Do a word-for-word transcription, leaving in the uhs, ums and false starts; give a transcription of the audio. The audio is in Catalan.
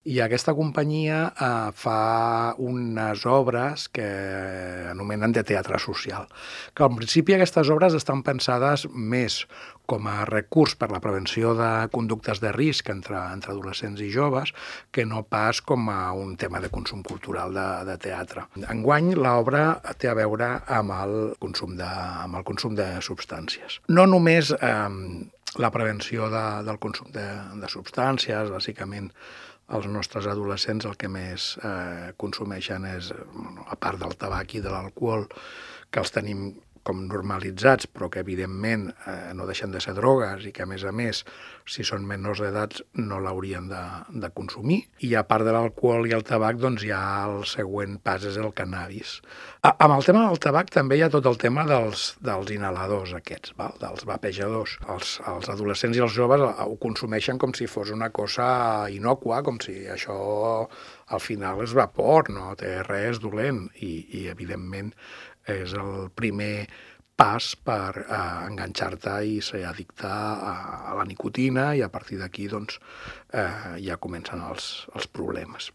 I aquesta companyia eh, fa unes obres que anomenen de teatre social, que al principi aquestes obres estan pensades més com a recurs per la prevenció de conductes de risc entre, entre adolescents i joves, que no pas com a un tema de consum cultural de, de teatre. Enguany, l'obra té a veure amb el consum de, amb el consum de substàncies. No només eh, la prevenció de, del consum de, de substàncies, bàsicament els nostres adolescents el que més eh, consumeixen és, a part del tabac i de l'alcohol, que els tenim com normalitzats, però que evidentment eh, no deixen de ser drogues i que a més a més, si són menors d'edat, no l'haurien de, de consumir. I a part de l'alcohol i el tabac, doncs ja el següent pas és el cannabis. A, amb el tema del tabac també hi ha tot el tema dels, dels inhaladors aquests, val? Dels vapejadors. Els, els adolescents i els joves ho consumeixen com si fos una cosa innòcua, com si això al final és vapor, no té res dolent i, i evidentment és el primer pas per eh, enganxar-te i ser addicte a, a la nicotina i a partir d'aquí doncs, eh, ja comencen els, els problemes.